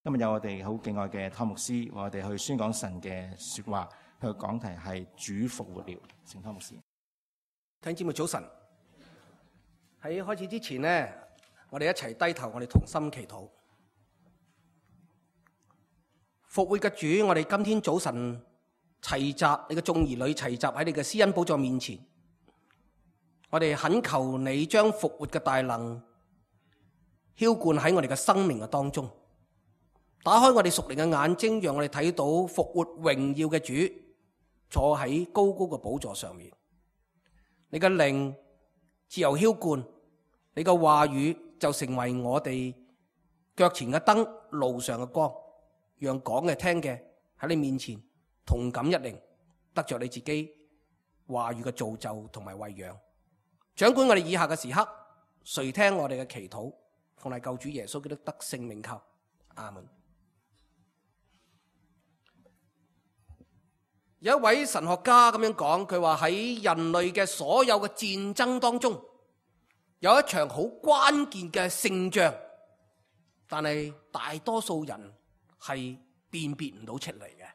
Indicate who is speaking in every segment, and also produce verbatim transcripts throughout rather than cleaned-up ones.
Speaker 1: 今日有我哋好敬愛嘅湯牧師，為我哋去宣講神嘅說話。佢嘅講題係主復活了。請湯牧師。
Speaker 2: 弟兄姊妹早晨。喺開始之前呢，我哋一齊低頭，我哋同心祈禱。復活嘅主，我哋今天早晨齊集，你嘅眾兒女齊集喺你嘅施恩寶座面前，我哋懇求你將復活嘅大能澆灌喺我哋嘅生命嘅當中。打開我哋屬靈嘅眼睛，讓我哋睇到復活榮耀嘅主坐喺高高嘅寶座上面。你嘅靈自由澆灌，你嘅話語就成為我哋腳前嘅燈，路上嘅光，讓講嘅聽嘅喺你面前同感一靈，得着你自己話語嘅造就同埋餵養。掌管我哋以下嘅時刻，垂聽我哋嘅祈禱，奉賴救主耶穌基督得聖名求，阿門。有一位神學家咁樣講，佢話喺人類嘅所有嘅戰爭當中，有一場好關鍵嘅勝仗，但係大多數人係辨別唔到出嚟嘅。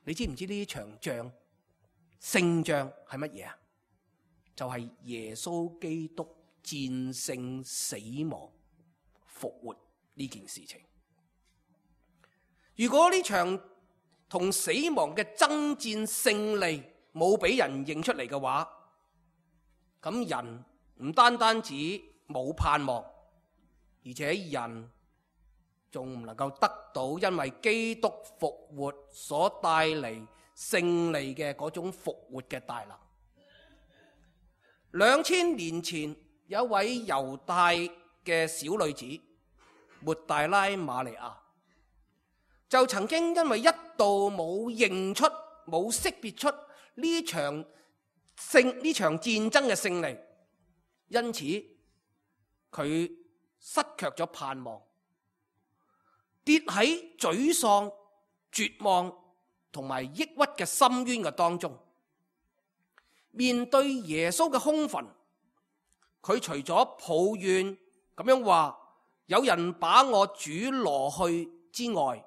Speaker 2: 你知唔知呢場仗勝仗係乜嘢啊？就係耶穌基督戰勝死亡復活呢件事情。如果呢場同死亡嘅爭戰勝利冇俾人認出嚟嘅話，咁人唔單單止冇盼望，而且人仲唔能夠得到因為基督復活所帶嚟勝利嘅嗰種復活嘅大能。兩千年前有一位猶太嘅小女子抹大拉瑪利亞，就曾經因為一度冇認出、冇識別出呢場勝呢場戰爭嘅勝利，因此佢失卻咗盼望，跌喺沮喪、絕望同埋抑鬱嘅深淵嘅當中。面對耶穌嘅空墳，佢除咗抱怨咁樣話有人把我主挪去之外，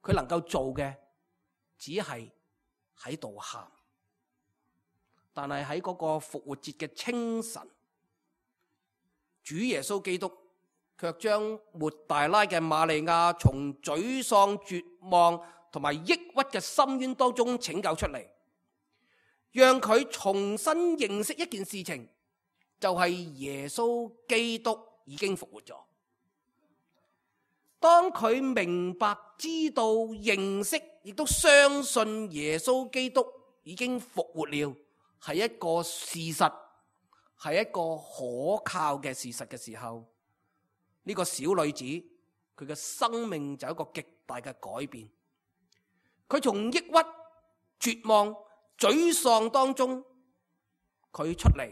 Speaker 2: 佢能夠做嘅只係喺度喊。但係喺嗰個復活節嘅清晨，主耶穌基督卻將抹大拉嘅瑪利亞從沮喪、絕望同埋抑鬱嘅深淵當中拯救出嚟，讓佢重新認識一件事情，就係耶穌基督已經復活咗。當佢明白、知道、認識，亦都相信耶穌基督已經復活了，係一個事實，係一個可靠嘅事實嘅時候，呢個小女子佢嘅生命就有一個極大嘅改變。佢從抑鬱、絕望、沮喪當中，佢出嚟，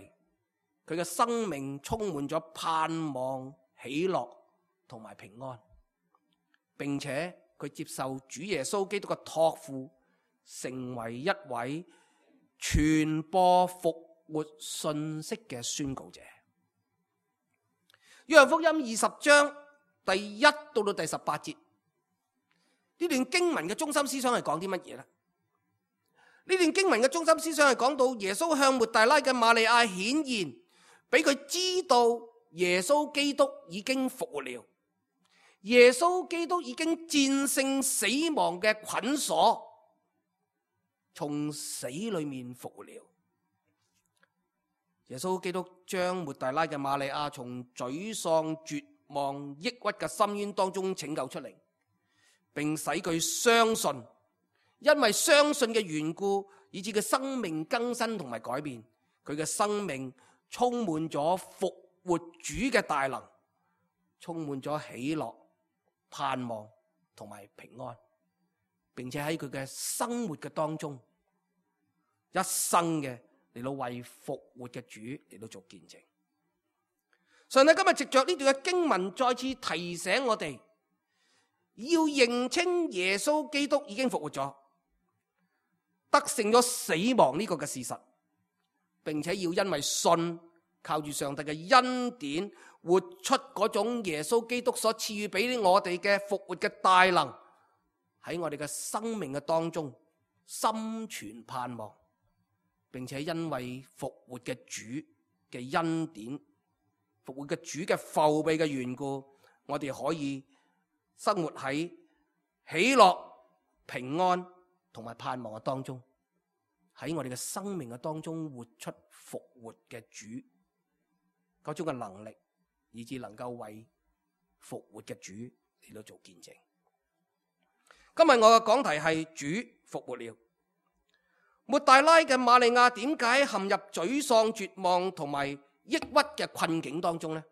Speaker 2: 佢嘅生命充滿咗盼望、喜樂同埋平安。並且佢接受主耶穌基督嘅託付，成為一位傳播復活信息嘅宣告者。約翰福音二十章第一到到第十八節，呢段經文嘅中心思想係講啲乜嘢呢？呢段經文嘅中心思想係講到耶穌向抹大拉嘅瑪利亞顯現，俾佢知道耶穌基督已經復活了。耶穌基督已經戰勝死亡嘅捆鎖，從死裏面復活了。耶穌基督將抹大拉嘅瑪利亞從沮喪、絕望、抑鬱嘅深淵當中拯救出嚟，並使佢相信，因為相信嘅緣故，以致佢生命更新同埋改變，佢嘅生命充滿咗復活主嘅大能，充滿咗喜樂、盼望同埋平安，並且喺佢嘅生活嘅當中，一生嘅嚟到為復活嘅主嚟到做見證。上帝今日藉着呢段嘅經文，再次提醒我哋要認清耶穌基督已經復活咗，得勝咗死亡呢個嘅事實，並且要因為信靠住上帝嘅恩典，活出嗰種耶穌基督所賜予俾我哋嘅復活嘅大能，喺我哋嘅生命嘅當中心存盼望，並且因為復活嘅主嘅恩典，復活嘅主嘅覆庇嘅緣故，我哋可以生活喺喜樂、平安同埋盼望嘅當中，喺我哋嘅生命嘅當中活出復活嘅主嗰種嘅能力，以致能夠為復活嘅主嚟到做見證。今日我嘅講題係主復活了。抹大拉嘅瑪利亞點解陷入沮喪、絕望同埋抑鬱嘅困境當中呢？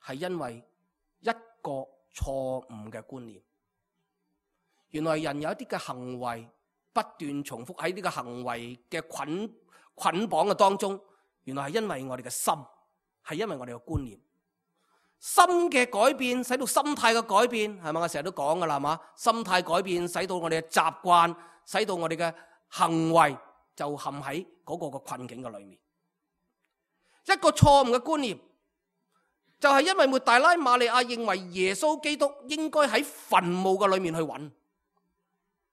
Speaker 2: 係因為一個錯誤嘅觀念。原來人有一啲嘅行為不斷重複喺呢個行為嘅捆捆綁嘅當中，原來係因為我哋嘅心，係因為我哋嘅觀念。心嘅改變使到心態嘅改變，係咪？我成日都講噶啦，係嘛？心態改變使到我哋嘅習慣，使到我哋嘅行為就陷喺嗰個嘅困境嘅裏面。一個錯誤嘅觀念，就係因為抹大拉瑪利亞認為耶穌基督應該喺墳墓嘅裏面去揾。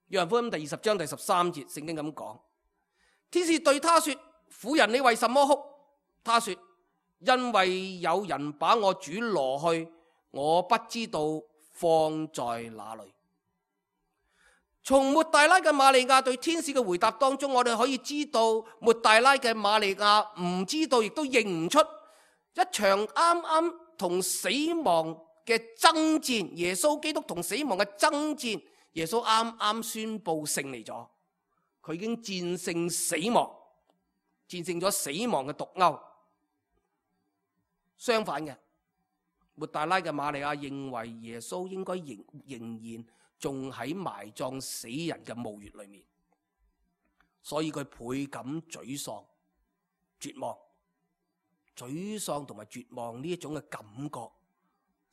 Speaker 2: 約翰福音第二十章第十三節，聖經咁講：天使對他說，婦人，你為什麼哭？他說，因為有人把我主攞去，我不知道放在哪裏。從抹大拉嘅瑪利亞對天使嘅回答當中，我哋可以知道抹大拉嘅瑪利亞唔知道，亦都認唔出一場啱啱同死亡嘅爭戰，耶穌基督同死亡嘅爭戰，耶穌啱啱宣布勝利咗，佢已經戰勝死亡，戰勝咗死亡嘅毒鈎。相反嘅，抹大拉嘅瑪利亞認為耶穌應該仍仍然仲喺埋葬死人嘅墓穴裏面，所以佢倍感沮喪、絕望。沮喪同埋絕望呢一種嘅感覺，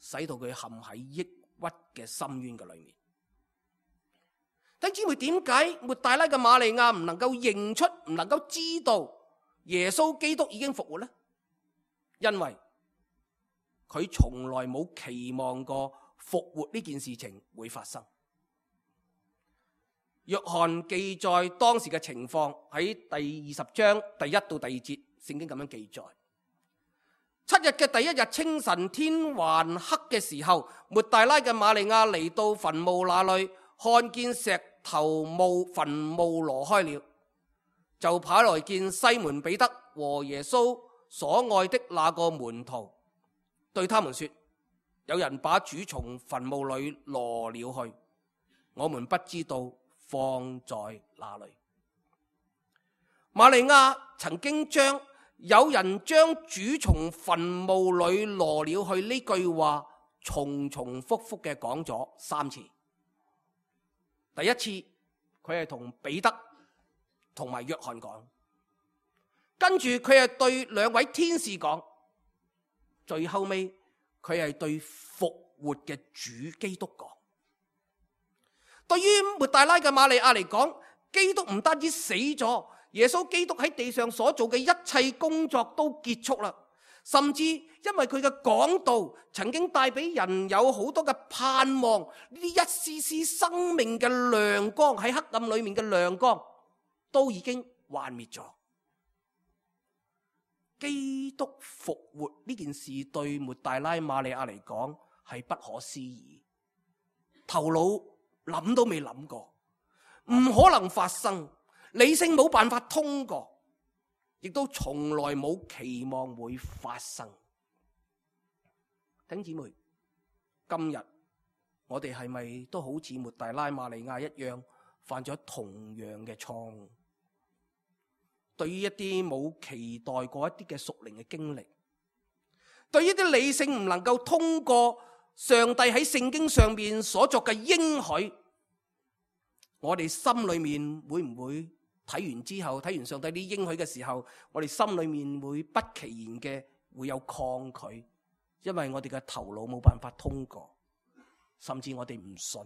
Speaker 2: 使到佢陷喺抑鬱嘅深淵嘅裏面。弟兄姊妹，點解抹大拉嘅瑪利亞唔能夠認出、唔能夠知道耶穌基督已經復活呢？因為佢從來冇期望過復活呢件事情會發生。約翰記載當時嘅情況喺第二十章第一到第二節，聖經咁樣記載：七日嘅第一日清晨，天還黑嘅時候，抹大拉嘅瑪利亞嚟到墳墓那裏，看見石頭墓墳墓挪開了，就跑來見西門彼得和耶穌所愛的那個門徒，對他們說：有人把主從墳墓裏挪了去，我們不知道放在哪裏。瑪利亞曾經將有人將主從墳墓裏挪了去呢句話重重複複嘅講咗三次。第一次佢係同彼得同埋約翰講，跟住佢係對兩位天使講，最後尾佢係對復活嘅主基督講。對於抹大拉嘅瑪利亞嚟講，基督唔單止死咗，耶穌基督喺地上所做嘅一切工作都結束啦，甚至因為佢嘅講道曾經帶俾人有好多嘅盼望，呢啲一絲絲生命嘅亮光，喺黑暗裏面嘅亮光都已經幻滅咗。基督復活呢件事對抹大拉瑪利亞嚟講係不可思議，頭腦諗都未諗過，唔可能發生，理性冇辦法通過，亦都從來冇期望會發生。弟兄姊妹，今日我哋係咪都好似抹大拉瑪利亞一樣犯咗同樣嘅錯誤？對於一啲冇期待過一啲嘅屬靈嘅經歷，對於啲理性唔能夠通過上帝喺聖經上面所作嘅應許，我哋心裏面會唔會睇完之後，睇完上帝啲應許嘅時候，我哋心裏面會不其然嘅會有抗拒，因為我哋嘅頭腦冇辦法通過，甚至我哋唔信，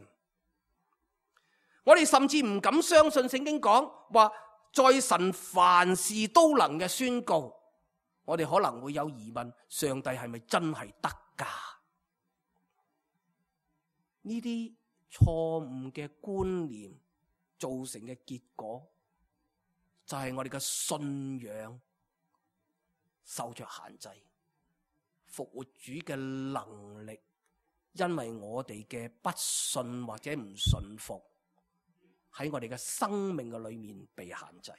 Speaker 2: 我哋甚至唔敢相信聖經講話，在神凡事都能嘅宣告，我哋可能會有疑問：上帝係咪真係得㗎？呢啲錯誤嘅觀念造成嘅結果，就係我哋嘅信仰受着限制。復活主嘅能力，因為我哋嘅不信或者唔信服，喺我哋嘅生命嘅裏面被限制。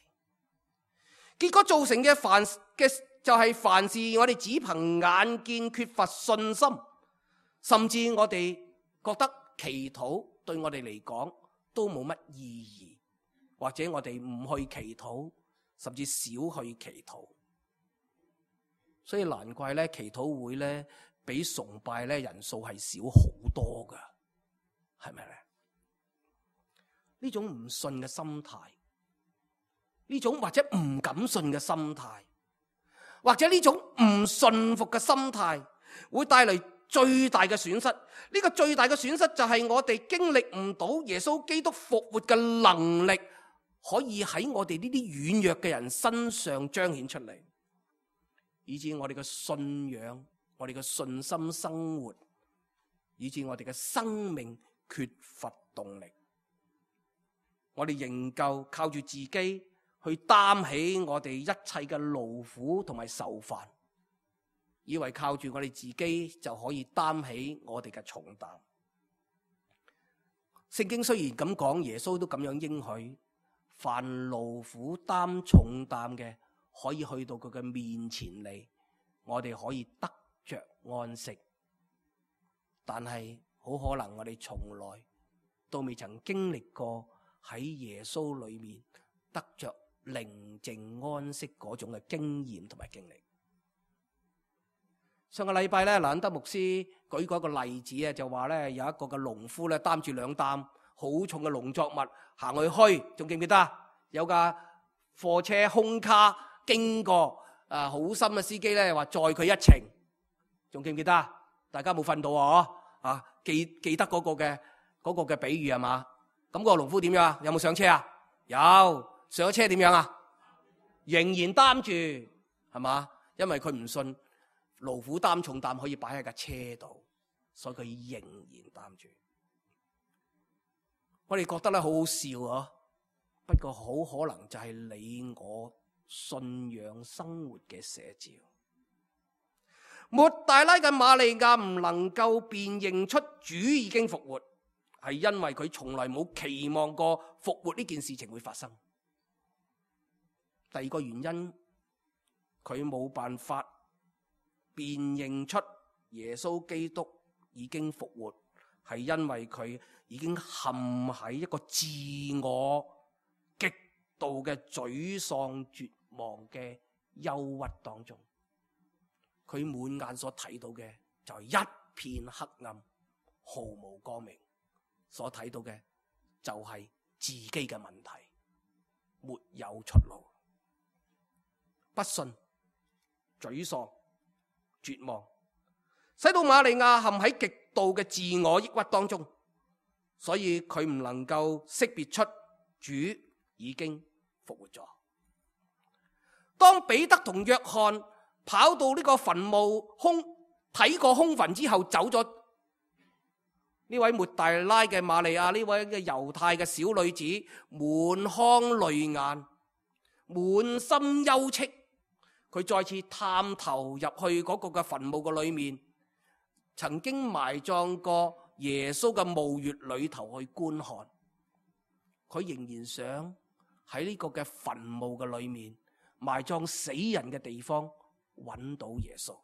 Speaker 2: 結果造成嘅凡嘅就係凡事我哋只憑眼見，缺乏信心，甚至我哋覺得祈禱對我哋嚟講都冇乜意義，或者我哋唔去祈禱，甚至少去祈禱。所以難怪咧，祈禱會咧比崇拜咧人數係少好多噶，係咪咧？呢種唔信嘅心態，呢種或者唔敢信嘅心態，或者呢種唔信服嘅心態，會帶嚟最大嘅損失。呢個最大嘅損失就係我哋經歷唔到耶穌基督復活嘅能力，可以喺我哋呢啲軟弱嘅人身上彰顯出嚟，以致我哋嘅信仰、我哋嘅信心生活，以致我哋嘅生命缺乏動力。我哋仍舊靠住自己去擔起我哋一切嘅勞苦同埋愁煩，以為靠住我哋自己就可以擔起我哋嘅重擔。聖經雖然咁講，耶穌都咁樣應許，凡勞苦擔重擔嘅，可以去到佢嘅面前嚟，我哋可以得着安息。但係好可能我哋從來都未曾經歷過喺耶穌裏面得着寧靜安息嗰種嘅經驗同埋經歷。上個禮拜咧，蘭德牧師舉過一個例子啊，就話咧有一個嘅農夫咧擔住兩擔好重嘅農作物行去墟，仲記唔記得？有架貨車空卡經過，啊好心嘅司機咧話載佢一程，仲記唔記得？大家冇瞓到啊？啊記記得嗰個嘅嗰個嘅比喻係嘛？咁嗰個農夫點樣啊？有冇上車啊？有，上咗車點樣啊？仍然擔住係嘛？因為佢唔信勞苦擔重擔可以擺喺架車度，所以佢仍然擔住。我哋覺得咧好好笑啊，不過好可能就係你我信仰生活嘅寫照。抹大拉嘅瑪利亞唔能夠辨認出主已經復活，係因為佢從來冇期望過復活呢件事情會發生。第二個原因，佢冇辦法辨認出耶穌基督已經復活，係因為佢已經陷喺一個自我極度嘅沮喪絕望嘅憂鬱當中。佢滿眼所睇到嘅就係一片黑暗，毫無光明。所睇到嘅就係自己嘅問題，沒有出路。不信、沮喪、絕望，使到瑪利亞陷喺極度嘅自我抑鬱當中，所以佢唔能夠識別出主已經復活咗。當彼得同約翰跑到呢個墳墓空睇過空墳之後走咗，呢位抹大拉嘅瑪利亞，呢位嘅猶太嘅小女子，滿腔淚眼，滿心憂戚。佢再次探頭入去嗰個嘅墳墓嘅裏面，曾經埋葬過耶穌嘅墓穴裏頭去觀看。佢仍然想喺呢個嘅墳墓嘅裏面，埋葬死人嘅地方揾到耶穌。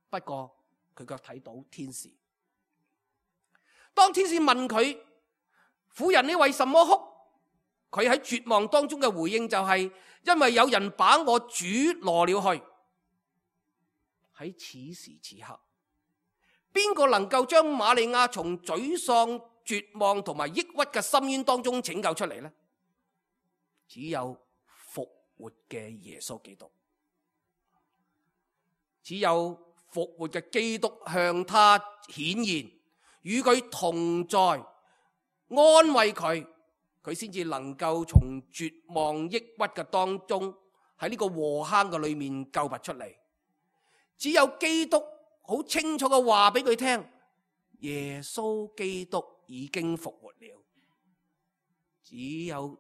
Speaker 2: 不過佢卻睇到天使。當天使問佢：婦人，你為什麼哭？佢喺絕望當中嘅回應就係：因為有人把我主攞了去。喺此時此刻，邊個能夠將瑪利亞從沮喪、絕望同埋抑鬱嘅深淵當中拯救出嚟呢？只有復活嘅耶穌基督，只有復活嘅基督向他顯現，與佢同在，安慰佢，佢先至能夠從絕望抑鬱嘅當中，喺喺呢個禍坑嘅裏面救拔出嚟。只有基督好清楚嘅話俾佢聽，耶穌基督已經復活了。只有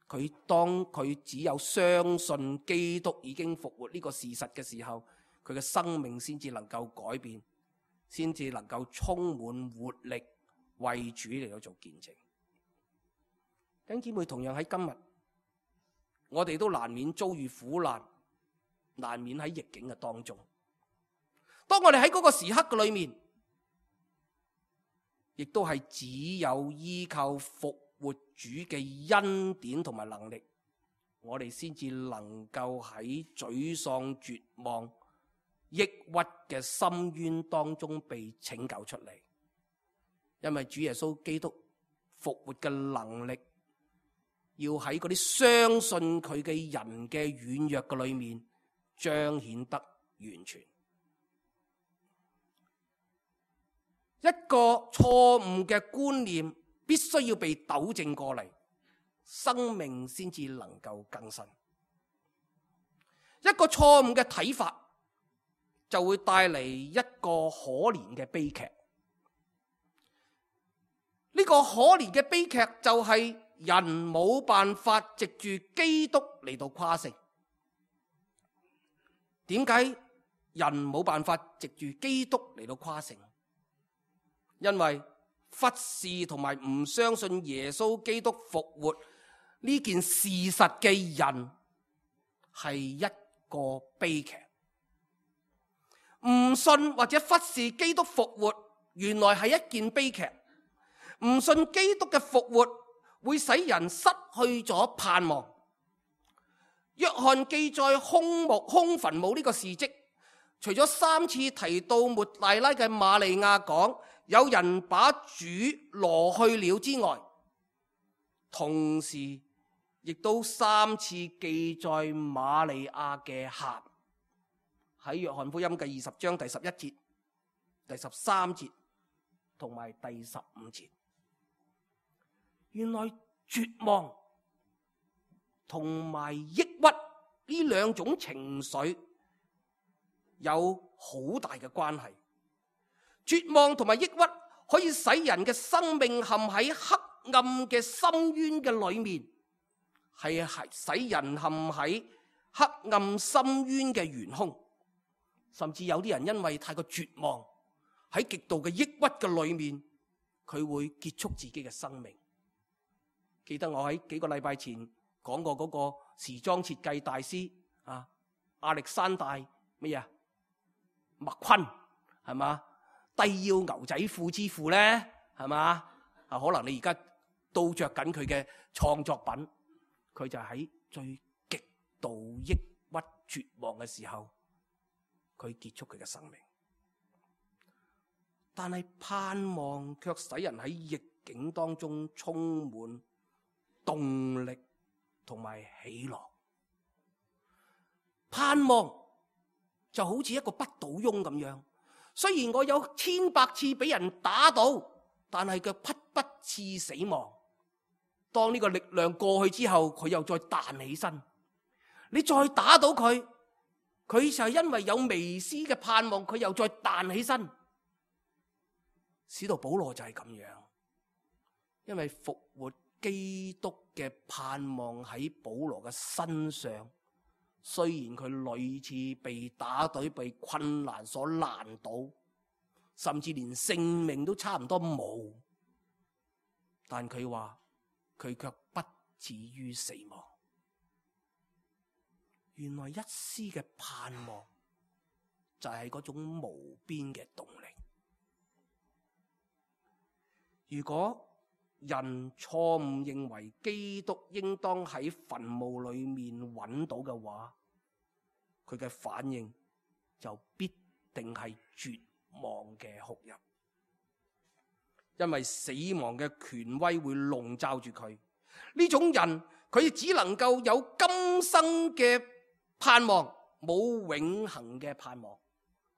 Speaker 2: 佢當佢只有相信基督已經復活呢個事實嘅時候，佢嘅生命先至能夠改變，先至能夠充滿活力，為主嚟到做見證。弟兄姊妹，同樣喺今日，我哋都難免遭遇苦難，難免喺逆境嘅當中。當我哋喺嗰個時刻嘅裏面，亦都係只有依靠復活主嘅恩典同埋能力，我哋先至能夠喺沮喪、絕望、抑鬱嘅深淵當中被拯救出嚟。因為主耶穌基督復活嘅能力，要喺嗰啲相信佢嘅人嘅軟弱嘅裏面彰顯得完全。一個錯誤嘅觀念必須要被糾正過嚟，生命先至能夠更新。一個錯誤嘅睇法就會帶嚟一個可憐嘅悲劇。呢個可憐嘅悲劇就係人冇辦法藉住基督嚟到誇勝。點解人冇辦法藉住基督嚟到誇勝？因為忽視同埋唔相信耶穌基督復活呢件事實嘅人係一個悲劇。唔信或者忽視基督復活，原來係一件悲劇。唔信基督嘅復活會使人失去咗盼望。約翰記載空墓空墳墓呢個事蹟，除咗三次提到抹大拉嘅瑪利亞講有人把主挪去了之外，同時亦都三次記載瑪利亞嘅喊，喺約翰福音嘅二十章第十一節、第十三節同埋第十五節。原來絕望同埋抑鬱呢兩種情緒有好大嘅關係。絕望同埋抑鬱可以使人嘅生命陷喺黑暗嘅深淵嘅裏面，係係使人陷喺黑暗深淵嘅懸空。甚至有啲人因為太過絕望，喺極度嘅抑鬱嘅裏面，佢會結束自己嘅生命。記得我喺幾個禮拜前講過嗰個時裝設計大師啊，亞歷山大咩啊麥昆，係嘛？低腰牛仔褲之父咧，係嘛？啊，可能你而家都着緊佢嘅創作品，佢就喺最極度抑鬱絕望嘅時候，佢結束佢嘅生命。但係盼望卻使人喺逆境當中充滿動力同埋喜樂。盼望就好似一個不倒翁咁樣，雖然我有千百次俾人打倒，但係佢匹不致死亡。當呢個力量過去之後，佢又再彈起身。你再打倒佢，佢就係因為有微絲嘅盼望，佢又再彈起身。使徒保羅就係咁樣，因為復活基督嘅盼望喺保羅嘅身上，雖然佢屢次被打倒、被困難所難倒，甚至連性命都差唔多冇，但佢話佢卻不至於死亡。原來一絲嘅盼望就係嗰種無邊嘅動力。如果人錯誤認為基督應當喺墳墓裏面揾到嘅話，佢嘅反應就必定係絕望嘅哭泣，因為死亡嘅權威會籠罩住佢。呢種人佢只能夠有今生嘅盼望，冇永恆嘅盼望。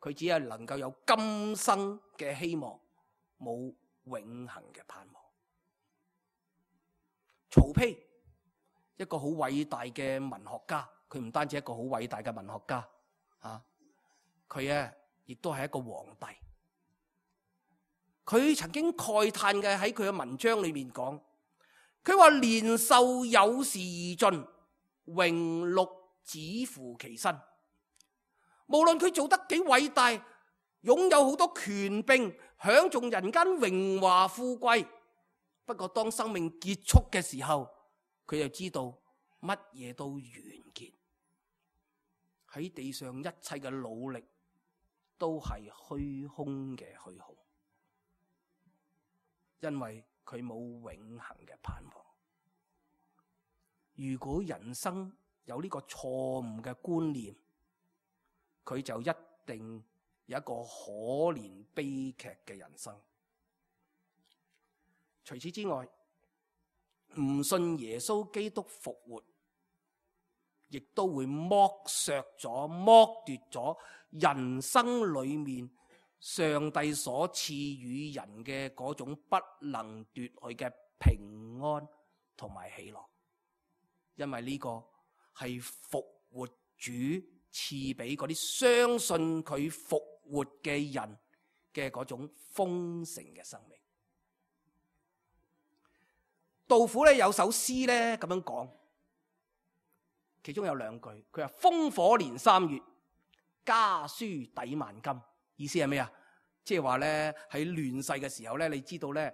Speaker 2: 佢只係能夠有今生嘅希望，冇永恆嘅盼望。曹丕，一個好偉大嘅文學家，佢唔單止一個好偉大嘅文學家啊，佢咧亦都係一個皇帝。佢曾經慨嘆嘅喺佢嘅文章裏面講，佢話年壽有時而盡，榮祿只乎其身。無論佢做得幾偉大，擁有好多權柄，享盡人間榮華富貴，不過當生命結束嘅時候，佢就知道乜嘢都完結。喺地上一切嘅努力都係虛空嘅虛空，因為佢冇永恆嘅盼望。如果人生有呢個錯誤嘅觀念，佢就一定有一個可憐悲劇嘅人生。除此之外，唔信耶穌基督復活，亦都會剝削咗、剝奪咗人生裏面上帝所賜予人嘅嗰種不能奪去嘅平安同埋喜樂。因為呢個係復活主賜俾嗰啲相信佢復活嘅人嘅嗰種豐盛嘅生命。杜甫咧有首詩咧咁樣講，其中有兩句，佢話烽火連三月，家書抵萬金。意思係咩啊？即係話咧喺亂世嘅時候咧，你知道咧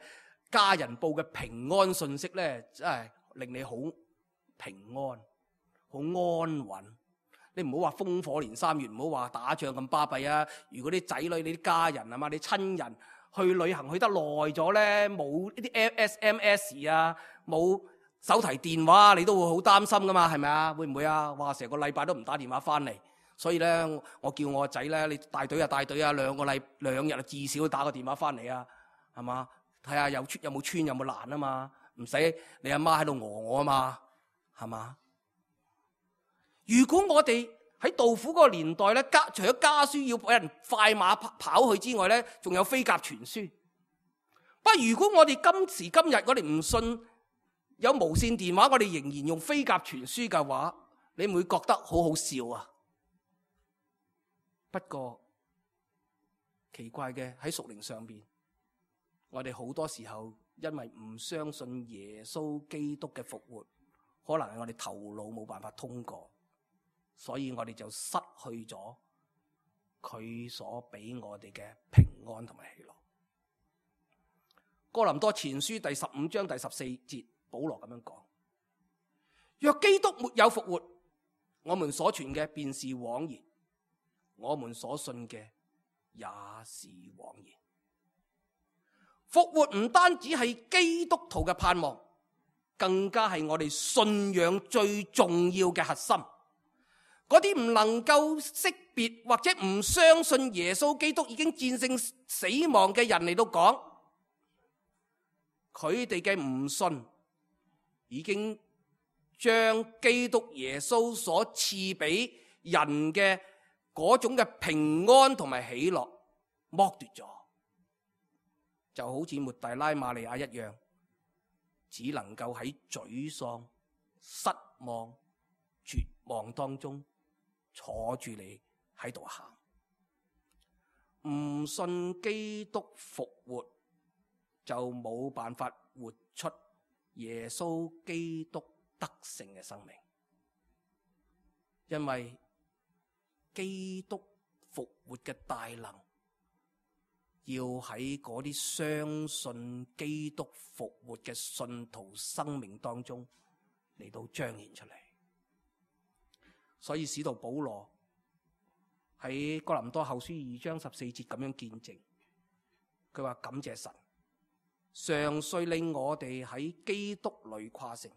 Speaker 2: 家人報嘅平安信息咧，真係令你好平安、好安穩。你唔好話烽火連三月，唔好話打仗咁巴閉啊！如果啲仔女、你啲家人啊嘛，你親人去旅行去得耐咗咧，冇呢啲 S M S 啊，冇手提電話，你都會好擔心噶嘛，係咪啊？會唔會啊？哇！成個禮拜都唔打電話翻嚟，所以咧，我叫我個仔咧，你帶隊啊帶隊啊，兩個禮兩日啊至少打個電話翻嚟啊，係嘛？睇下有穿有冇穿有冇爛啊嘛，唔使你阿媽喺度餓我啊嘛，係嘛？如果我哋喺杜甫嗰個年代咧，家除咗家書要俾人快馬跑去之外咧，仲有飛鴿傳書。不過如果我哋今時今日我哋唔信有無線電話，我哋仍然用飛鴿傳書嘅話，你唔會覺得好好笑啊？不過奇怪嘅喺屬靈上邊，我哋好多時候因為唔相信耶穌基督嘅復活，可能係我哋頭腦冇辦法通過。所以我哋就失去咗佢所俾我哋嘅平安同埋喜樂。哥林多前書第十五章第十四節，保羅咁樣講：若基督沒有復活，我們所傳嘅便是枉然，我們所信嘅也是枉然。復活唔單止係基督徒嘅盼望，更加係我哋信仰最重要嘅核心。嗰啲唔能夠識別或者唔相信耶穌基督已經戰勝死亡嘅人嚟到講，佢哋嘅唔信已經將基督耶穌所賜俾人嘅嗰種嘅平安同埋喜樂剝奪咗，就好似抹大拉瑪利亞一樣，只能夠喺沮喪、失望、絕望當中坐住你喺度喊。唔信基督復活，就冇辦法活出耶穌基督得勝嘅生命。因為基督復活嘅大能，要喺嗰啲相信基督復活嘅信徒生命當中嚟到彰顯出嚟。所以使徒保羅喺哥林多後書二章十四節咁樣見證，佢話感謝神，常遂令我哋喺基督裏誇勝，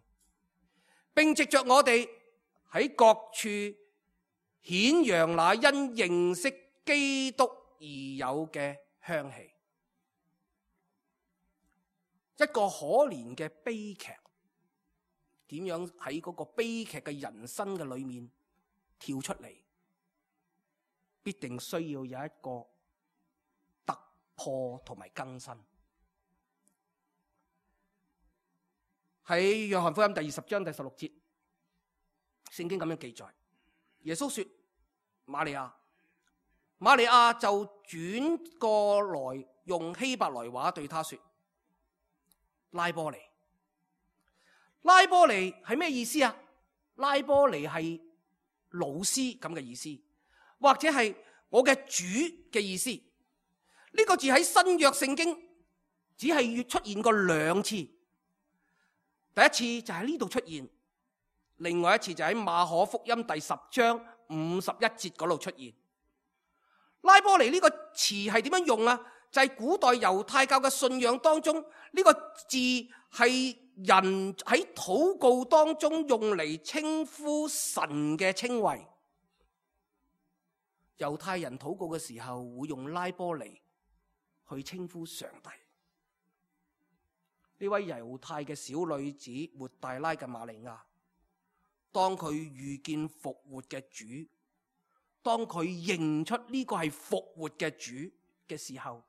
Speaker 2: 並藉着我哋喺各處顯揚那因認識基督而有嘅香氣。一個可憐嘅悲劇，點樣喺嗰個悲劇嘅人生嘅裏面跳出嚟，必定需要有一個突破同埋更新。喺約翰福音第二十章第十六節，聖經咁樣記載：耶穌說瑪利亞，瑪利亞就轉過來用希伯來話對他說拉波尼。拉波尼係咩意思啊？拉波尼係老師咁嘅意思，或者係我嘅主嘅意思。呢、這個字喺新約聖經只係出現過兩次，第一次就喺呢度出現，另外一次就喺馬可福音第十章五十一節嗰度出現。拉波尼呢個詞係點樣用啊？就係、是、古代猶太教嘅信仰當中，呢、這個字係人喺禱告當中用嚟稱呼神嘅稱謂。猶太人禱告嘅時候會用拉波尼去稱呼上帝。呢位猶太嘅小女子抹大拉嘅瑪利亞，當佢遇見復活嘅主，當佢認出呢個係復活嘅主嘅時候，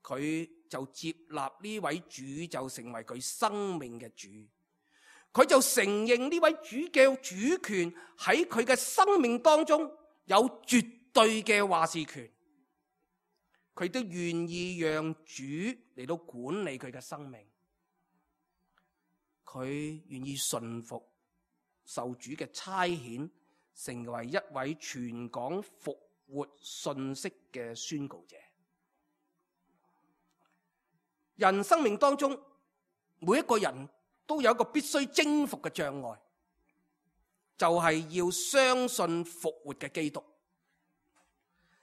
Speaker 2: 佢就接納呢位主就成為佢生命嘅主，佢就承認呢位主嘅主權喺佢嘅生命當中有絕對嘅話事權，佢都願意讓主嚟到管理佢嘅生命，佢願意順服受主嘅差遣，成為一位傳講復活信息嘅宣告者。人生命當中，每一個人都有一個必須征服嘅障礙，就係要相信復活嘅基督，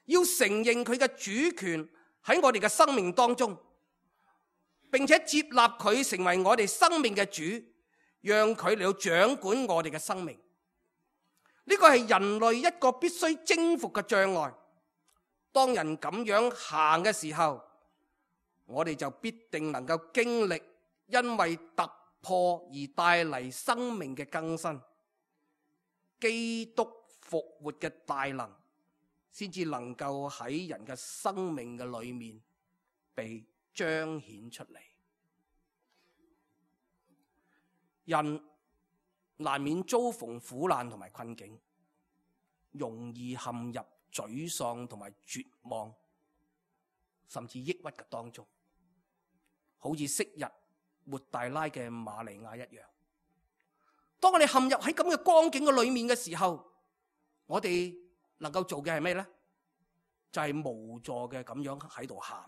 Speaker 2: 要承認佢嘅主權喺我哋嘅生命當中，並且接納佢成為我哋生命嘅主，讓佢嚟到掌管我哋嘅生命。呢個係人類一個必須征服嘅障礙。當人咁樣行嘅時候，我哋就必定能夠經歷因為突破而帶嚟生命嘅更新。基督復活嘅大能先至能夠喺人嘅生命嘅裏面被彰顯出嚟。人難免遭逢苦難同埋困境，容易陷入沮喪同埋絕望，甚至抑鬱嘅當中，好似昔日抹大拉嘅瑪利亞一樣。當我哋陷入喺咁嘅光景嘅裏面嘅時候，我哋能夠做嘅係咩呢？就係、是、無助嘅咁樣喺度喊，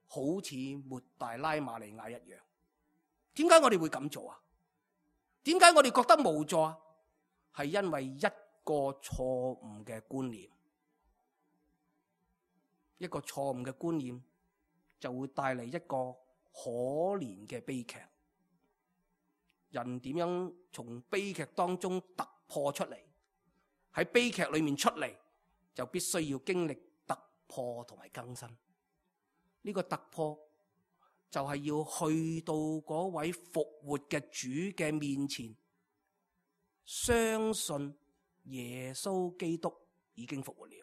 Speaker 2: 好似抹大拉瑪利亞一樣。點解我哋會咁做啊？點解我哋覺得無助啊？係因為一個錯誤嘅觀念，一個錯誤嘅觀念就會帶嚟一個可憐嘅悲劇。人點樣從悲劇當中突破出嚟？喺悲劇裏面出嚟，就必須要經歷突破同埋更新。呢個突破就係要去到嗰位復活嘅主嘅面前，相信耶穌基督已經復活了。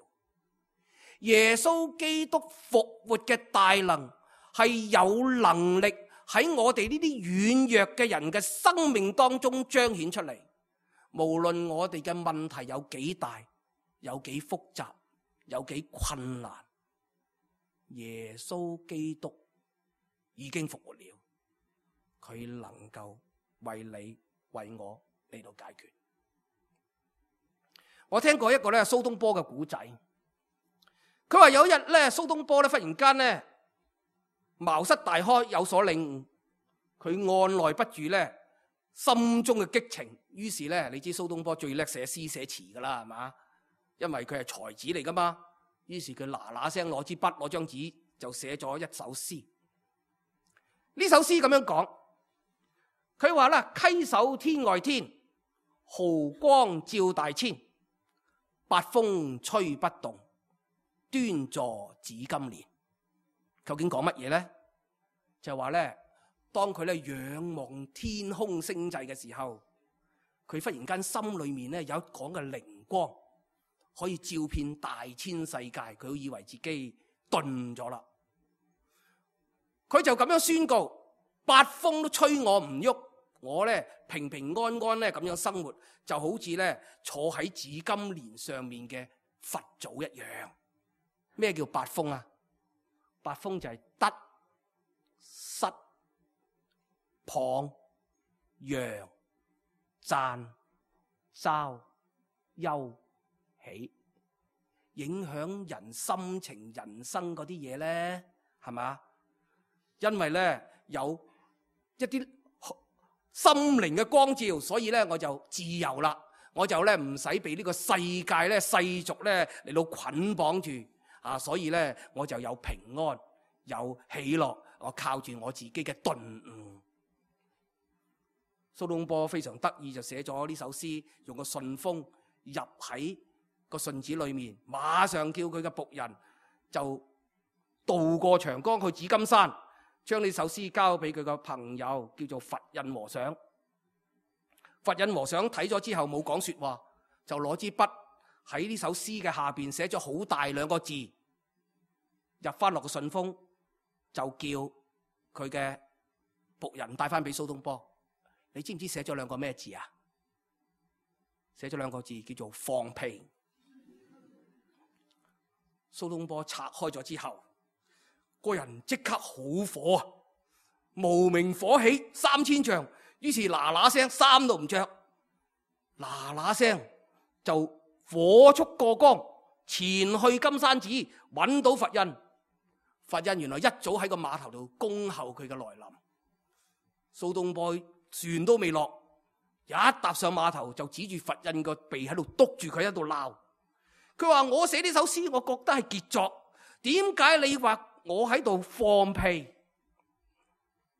Speaker 2: 耶穌基督復活嘅大能係有能力喺我哋呢啲軟弱嘅人嘅生命當中彰顯出嚟。無論我哋嘅問題有幾大，有幾複雜，有幾困難，耶穌基督已經復活了，佢能夠為你為我嚟到解決。我聽過一個咧蘇東坡嘅古仔，佢話有一日咧蘇東坡咧忽然間咧茅塞大開，有所領悟，佢按捺不住咧心中嘅激情，於是咧你知蘇東坡最叻寫詩寫詞噶啦，係嘛？因為佢係才子嚟噶嘛，於是佢嗱嗱聲攞支筆攞張紙就寫咗一首詩。呢首詩咁樣講，佢話啦：稽首天外天，毫光照大千，八風吹不動，端坐紫金蓮。究竟講乜嘢呢？就話咧，當佢咧仰望天空星際嘅時候，佢忽然間心裏面咧有一講嘅靈光，可以照遍大千世界，佢都以為自己頓咗啦。佢就咁樣宣告：八風都吹我唔喐，我咧平平安安咧咁樣生活，就好似咧坐喺紫金蓮上面嘅佛祖一樣。咩叫八風啊？八風就係得、失、謗、揚、讚、嘲、憂、喜，影響人心情、人生嗰啲嘢咧，係咪？因為咧有一啲心靈嘅光照，所以咧我就自由啦，我就咧唔使被呢個世界咧世俗咧嚟到捆綁住啊，所以咧我就有平安有喜樂，我靠住我自己嘅頓悟。蘇東坡非常得意，就寫咗呢首詩，用個順風入喺個順子裏面，馬上叫佢嘅僕人就渡過長江去紫金山，將呢首詩交俾佢個朋友叫做佛印和尚。佛印和尚睇咗之後冇講說話，就攞支筆喺呢首詩嘅下邊寫咗好大兩個字，入翻落個順風，就叫佢嘅僕人帶翻俾蘇東坡。你知唔知寫咗兩個咩字啊？寫咗兩個字叫做放屁。蘇東坡拆開咗之後，個人即刻好火啊，無名火起三千丈，於是嗱嗱聲衫都唔着，嗱嗱聲就火速過江，前去金山寺揾到佛印。佛印原來一早喺個碼頭度恭候佢嘅來臨。蘇東坡船都未落，一踏上碼頭就指住佛印個鼻喺度督住佢喺度鬧。佢話：我寫呢首詩，我覺得係傑作，點解你話我喺度放屁？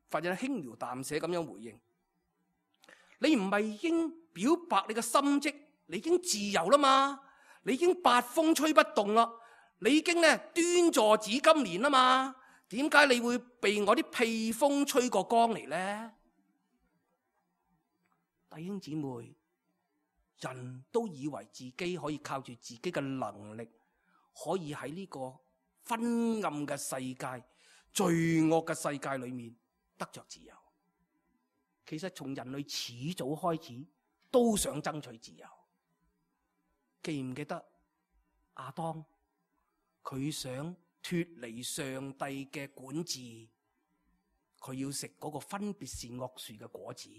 Speaker 2: 佛印輕描淡寫咁樣回應：你唔係已經表白你嘅心跡，你已經自由啦嘛，你已經八風吹不動啦，你已經咧端坐紫金蓮啦嘛，點解你會被我啲屁風吹過江嚟呢？弟兄姊妹，人都以為自己可以靠住自己嘅能力，可以喺呢個昏暗嘅世界、罪惡嘅世界裏面得着自由。其實從人類始早開始都想爭取自由。記唔記得亞當？佢想脫離上帝嘅管治，佢要食嗰個分別善惡樹嘅果子。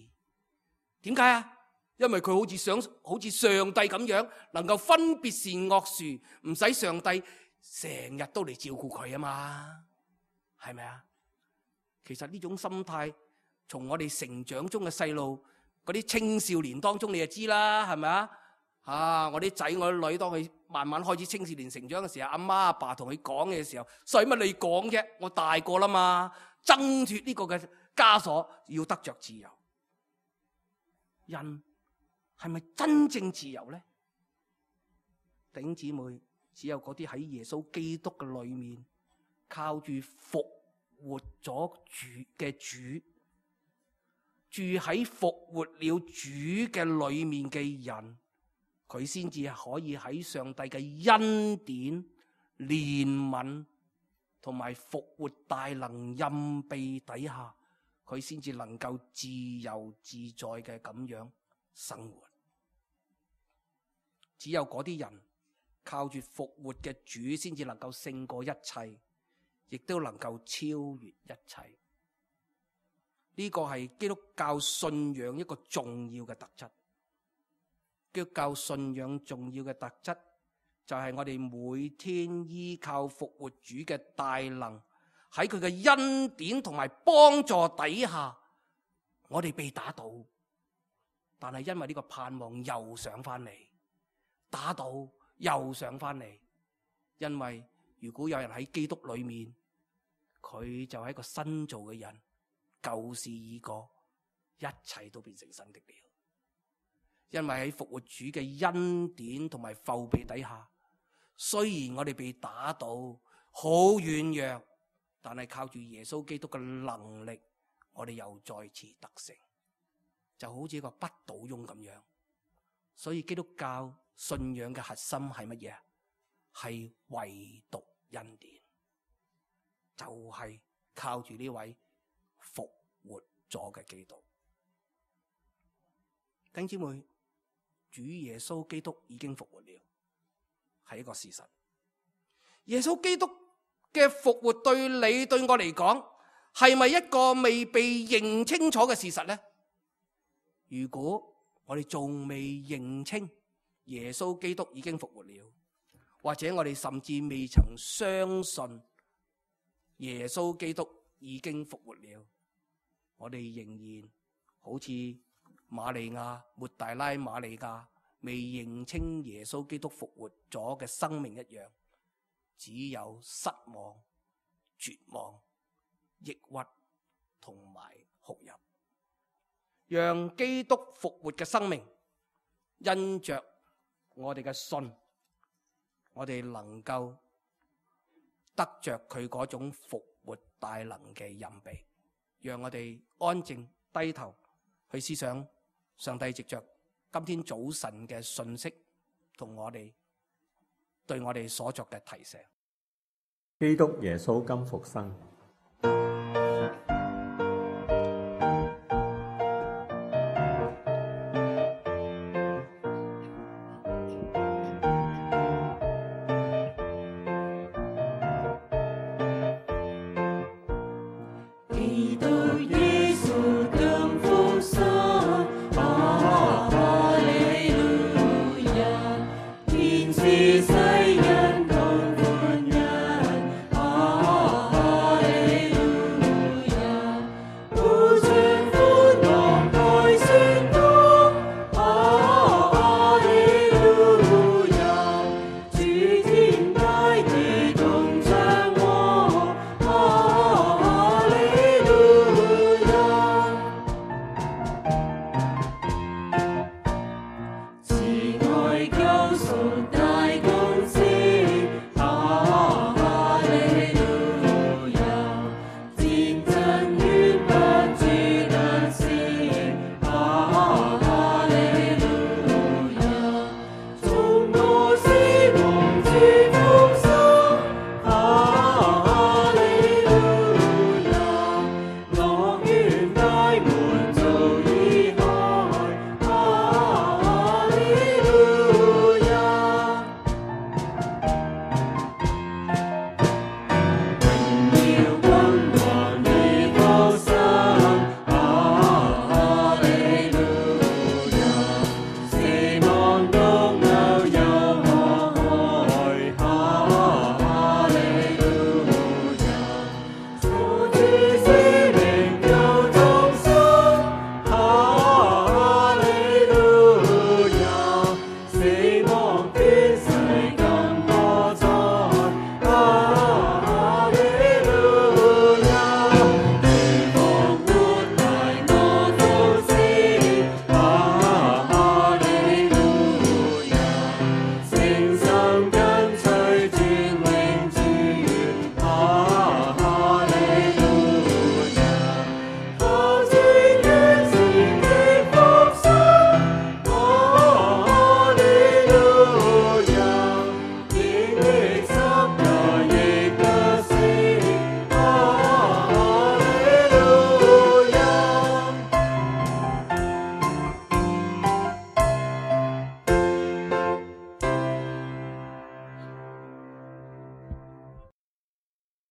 Speaker 2: 點解啊？因為佢好似想好似上帝咁樣，能夠分別善惡樹，唔使上帝成日都嚟照顧佢啊嘛，係咪啊？其實呢種心態，從我哋成長中嘅細路，嗰啲青少年當中，你就知啦，係咪啊？啊，我啲仔我啲女，當佢慢慢開始青少年成長嘅時候，阿媽阿爸同佢講嘅時候，使乜你講啫？我大個啦嘛，掙脫呢個嘅枷鎖，要得着自由。人係咪真正自由呢？弟兄姊妹，只有嗰啲喺耶穌基督嘅裏面，靠住復活咗主嘅主，住喺復活了主嘅裏面嘅人，佢先至可以喺上帝嘅恩典、憐憫同埋復活大能蔭庇底下，佢先至能夠自由自在嘅咁樣生活。只有嗰啲人靠住復活嘅主，先至能夠勝過一切，亦都能夠超越一切。呢個係基督教信仰一個重要嘅特質。基督教信仰重要嘅特質就係我哋每天依靠復活主嘅大能，喺佢嘅恩典同埋幫助底下，我哋被打倒，但係因為呢個盼望又上翻嚟，打倒又上翻嚟。因為如果有人喺基督裏面，佢就係一個新造嘅人，舊事已過，一切都變成新的了。因為喺復活主嘅恩典同埋覆庇底下，雖然我哋被打倒，好軟弱，但係靠住耶穌基督嘅能力，我哋又再次得勝，就好似一個不倒翁咁樣。所以基督教信仰嘅核心係乜嘢？係唯獨恩典，就係靠住呢位復活咗嘅基督。弟兄姊妹，主耶穌基督已經復活了，係一個事實。耶穌基督嘅復活對你對我嚟講，係咪一個未被認清楚嘅事實呢？如果我哋仲未認清耶穌基督已經復活了，或者我哋甚至未曾相信耶穌基督已經復活了，我哋仍然好似瑪利亞、抹大拉瑪利亞未認清耶穌基督復活咗嘅生命一樣，只有失望、絕望、抑鬱同埋哭泣。讓基督復活嘅生命，因着我哋嘅信，我哋能夠得着佢嗰種復活大能嘅蔭庇。讓我哋安靜低頭去思想上帝藉着今天早晨嘅信息同我哋對我哋所作嘅提醒。
Speaker 3: 基督耶穌今復生。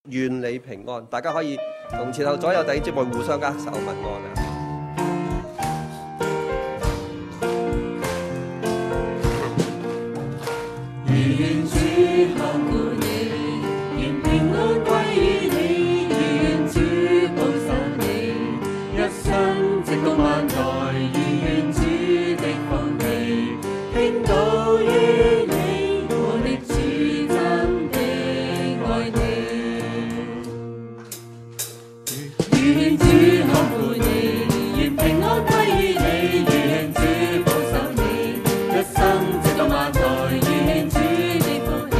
Speaker 4: 願你平安，大家可以同前後左右弟兄姊妹互相握手問安啊！
Speaker 5: 願主看顧你，願平安歸於你，願主保守你，一生直到萬代，願主的福氣傾倒於你，我的主真的愛你。願主看顧你，願平安歸於你，願主保守你，一生直到萬代，願主的福氣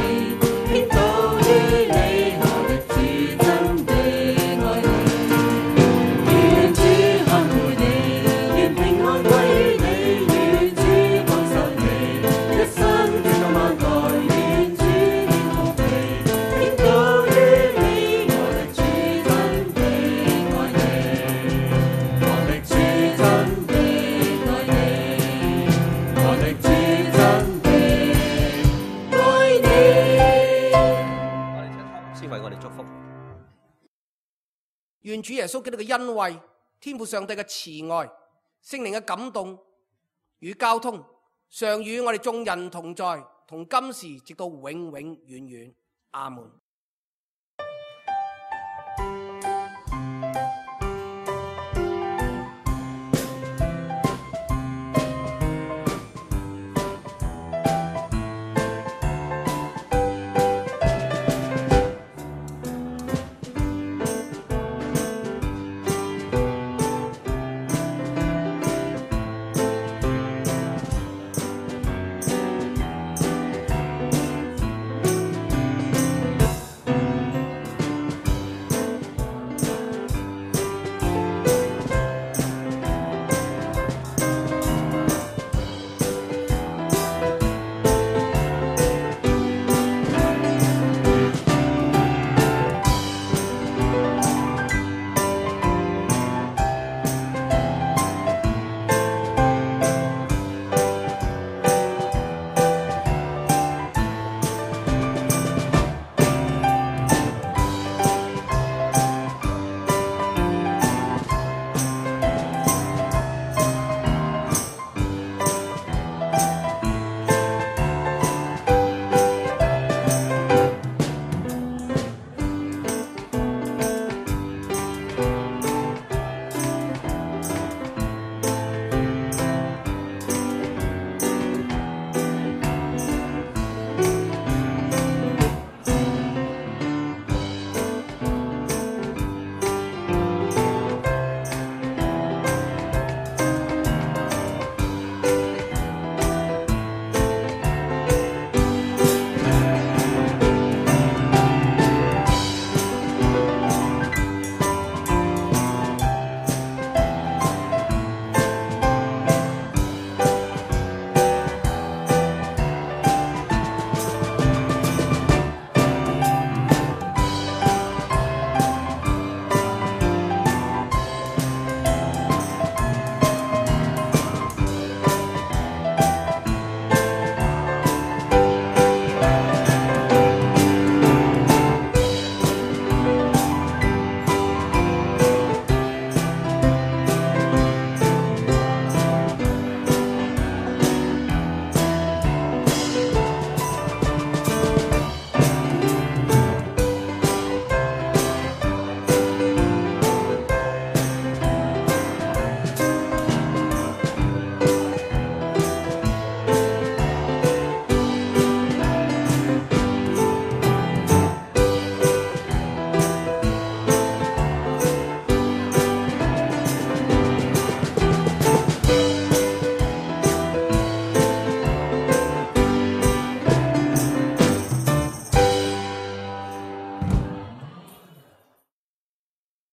Speaker 2: 願主耶穌基督嘅恩惠、天父上帝嘅慈愛、聖靈嘅感動與交通，常與我哋眾人同在，同今時直到永永遠遠。阿門。